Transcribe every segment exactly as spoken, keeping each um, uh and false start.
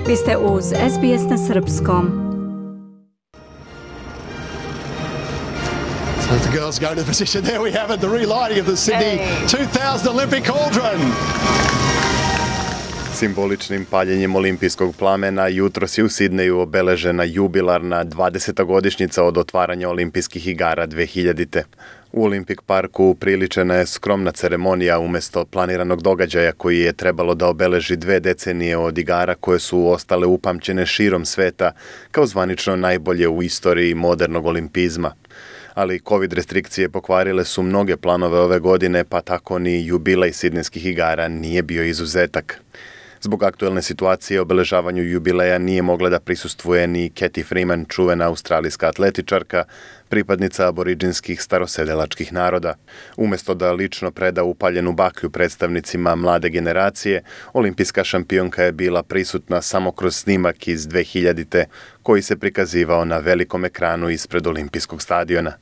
Vi ste uz S B S na srpskom. So the girls go to the position. There we have it, the relighting of the Sydney hey. two thousand Olympic cauldron. Simboličnim paljenjem olimpijskog plamena jutros je u Sidneju obeležena jubilarna dvadeseta godišnjica od otvaranja olimpijskih igara dve hiljadite. U Olimpik parku upriličena je skromna ceremonija umjesto planiranog događaja koji je trebalo da obeleži dve decenije od igara koje su ostale upamćene širom sveta kao zvanično najbolje u istoriji modernog olimpizma. Ali COVID restrikcije pokvarile su mnoge planove ove godine, pa tako ni jubilej sidnejskih igara nije bio izuzetak. Zbog aktuelne situacije obeležavanju jubileja nije mogla da prisustvuje ni Cathy Freeman, čuvena australijska atletičarka, pripadnica aboriđinskih starosedelačkih naroda. Umjesto da lično preda upaljenu baklju predstavnicima mlade generacije, olimpijska šampionka je bila prisutna samo kroz snimak iz dve hiljadite koji se prikazivao na velikom ekranu ispred olimpijskog stadiona.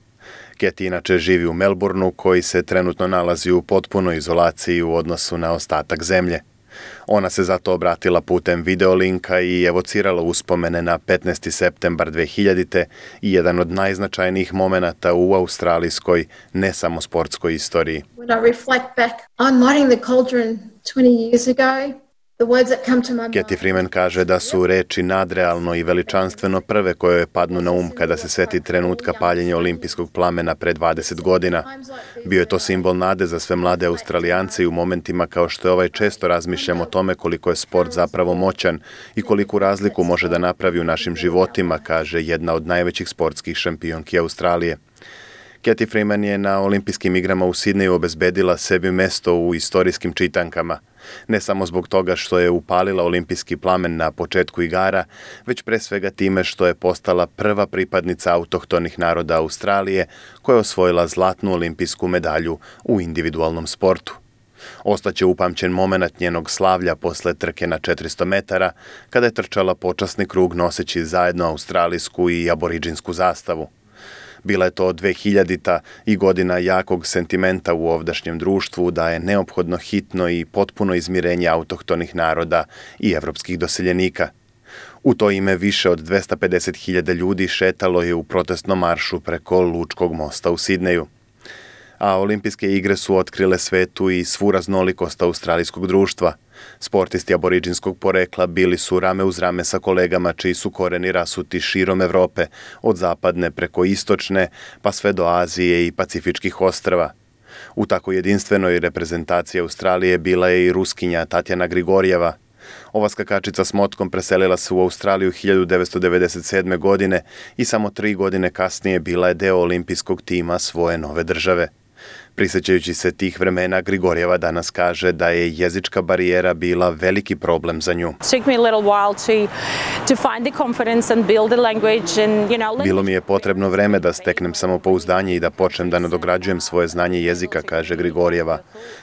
Cathy inače živi u Melbourneu koji se trenutno nalazi u potpunoj izolaciji u odnosu na ostatak zemlje. Ona se zato obratila putem videolinka i evocirala uspomene na petnaesti septembar dve hiljadite i jedan od najznačajnijih momenata u australijskoj, ne samo sportskoj istoriji. When I reflect back on lighting the cauldron twenty years ago, the words that come to my mind. Cathy Freeman kaže da su reči nadrealno i veličanstveno prve koje joj padnu na um kada se seti trenutka paljenja olimpijskog plamena pre dvadeset godina. Bio je to simbol nade za sve mlade Australijance i u momentima kao što je ovaj često razmišljamo o tome koliko je sport zapravo moćan i koliku razliku može da napravi u našim životima, kaže jedna od najvećih sportskih šampionki Australije. Cathy Freeman je na olimpijskim igrama u Sidneju obezbedila sebi mesto u istorijskim čitankama. Ne samo zbog toga što je upalila olimpijski plamen na početku igara, već pre svega time što je postala prva pripadnica autohtonih naroda Australije koja je osvojila zlatnu olimpijsku medalju u individualnom sportu. Ostaće upamćen moment njenog slavlja posle trke na četiristo metara, kada je trčala počasni krug noseći zajedno australijsku i aboriđinsku zastavu. Bila je to dve hiljadita i godina jakog sentimenta u ovdašnjem društvu da je neophodno hitno i potpuno izmirenje autohtonih naroda i evropskih doseljenika. U to ime više od dvesta pedeset hiljada ljudi šetalo je u protestnom maršu preko Lučkog mosta u Sidneju. A olimpijske igre su otkrile svetu i svu raznolikost australijskog društva. Sportisti aboriđinskog porekla bili su rame uz rame sa kolegama čiji su koreni rasuti širom Evrope, od zapadne preko istočne, pa sve do Azije i Pacifičkih ostrva. U tako jedinstvenoj reprezentaciji Australije bila je i Ruskinja Tatjana Grigorjeva. Ova skakačica s motkom preselila se u Australiju hiljadu devetsto devedeset sedme. godine i samo tri godine kasnije bila je deo olimpijskog tima svoje nove države. Prisjećajući se tih vremena, Grigorjeva danas kaže da je jezička barijera bila veliki problem za nju. Bilo mi je potrebno vreme da steknem samopouzdanje i da počnem da nadograđujem svoje znanje jezika, kaže Grigorjeva.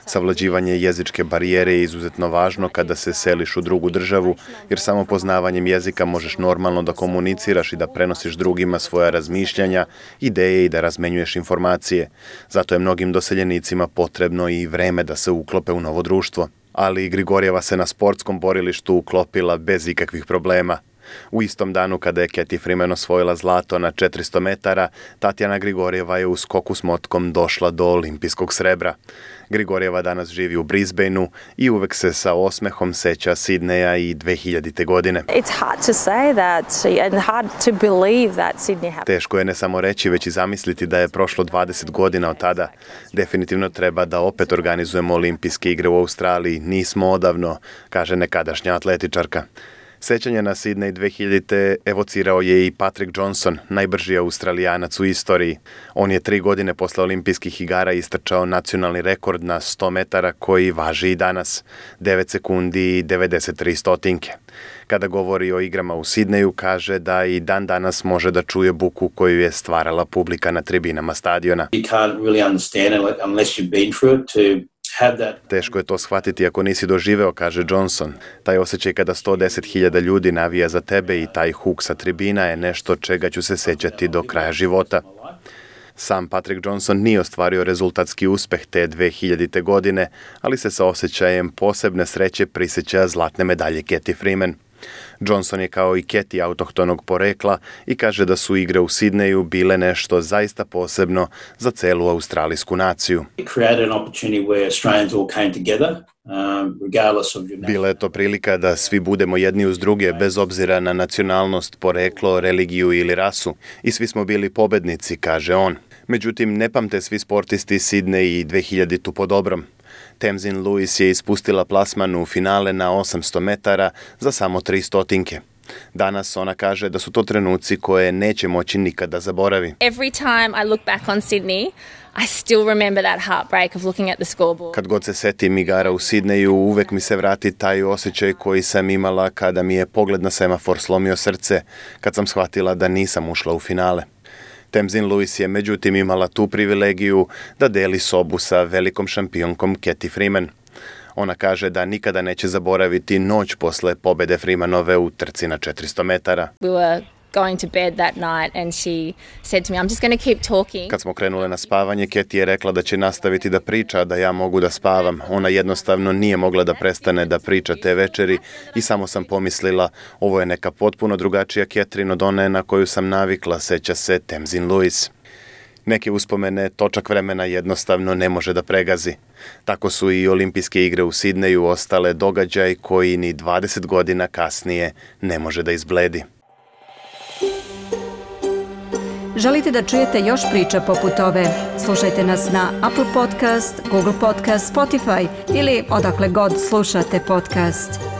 Savlađivanje jezičke barijere je izuzetno važno kada se seliš u drugu državu, jer samo poznavanjem jezika možeš normalno da komuniciraš i da prenosiš drugima svoja razmišljanja, ideje i da razmenjuješ informacije. Zato je mnogim doseljenicima potrebno i vreme da se uklope u novo društvo. Ali Grigorjeva se na sportskom borilištu uklopila bez ikakvih problema. U istom danu kada je Cathy Freeman osvojila zlato na četiristo metara, Tatjana Grigorjeva je u skoku s motkom došla do olimpijskog srebra. Grigorjeva danas živi u Brisbaneu i uvek se sa osmehom seća Sidneja i dve hiljadite. godine. Teško je ne samo reći, već i zamisliti da je prošlo dvadeset godina od tada. Definitivno treba da opet organizujemo olimpijske igre u Australiji. Nismo odavno, kaže nekadašnja atletičarka. Sećanje na Sidnej dve hiljadite. evocirao je i Patrick Johnson, najbrži Australijanac u istoriji. On je tri godine posle olimpijskih igara istrčao nacionalni rekord na sto metara koji važi i danas, devet sekundi i devedeset tri stotinke. Kada govori o igrama u Sidneju, kaže da i dan danas može da čuje buku koju je stvarala publika na tribinama stadiona. You can't really understand it unless you've been through it to Teško je to shvatiti ako nisi doživeo, kaže Johnson. Taj osjećaj kada sto deset hiljada ljudi navija za tebe i taj huk sa tribina je nešto čega ću se sećati do kraja života. Sam Patrick Johnson nije ostvario rezultatski uspeh te dve hiljadite. godine, ali se sa osjećajem posebne sreće prisjeća zlatne medalje Cathy Freeman. Johnson je kao i Katie autohtonog porekla i kaže da su igre u Sidneju bile nešto zaista posebno za celu australijsku naciju. It created an opportunity where Australians all came together, um, regardless of your Bila je to prilika da svi budemo jedni uz druge bez obzira na nacionalnost, poreklo, religiju ili rasu i svi smo bili pobednici, kaže on. Međutim, ne pamte svi sportisti Sidney i dve hiljadite po dobrom. Tamzin Lewis je ispustila plasman u finale na osamsto metara za samo tri stotinke. Danas ona kaže da su to trenuci koje neće moći nikada zaboravi. Every time I look back on Sydney, I still remember that heartbreak of looking at the scoreboard. Kad god se setim igara u Sidneju, uvek mi se vrati taj osjećaj koji sam imala kada mi je pogled na semafor slomio srce, kad sam shvatila da nisam ušla u finale. Tamzin Lewis je međutim imala tu privilegiju da deli sobu sa velikom šampionkom Cathy Freeman. Ona kaže da nikada neće zaboraviti noć posle pobede Freemanove u trci na četiristo metara. We were going to bed that night and she said to me, I'm just going to keep talking. Kad smo krenule na spavanje, Cathy je rekla da će nastaviti da priča, da ja mogu da spavam. Ona jednostavno nije mogla da prestane da priča te večeri i samo sam pomislila, ovo je neka potpuno drugačija Catherine od one na koju sam navikla, seća se Tamzin Lewis. Neke uspomene točak vremena jednostavno ne može da pregazi. Tako su i olimpijske igre u Sidneju ostale događaj koji ni dvadeset godina kasnije ne može da izbledi. Želite da čujete još priča poput ove? Slušajte nas na Apple Podcast, Google Podcast, Spotify ili odakle god slušate podcast.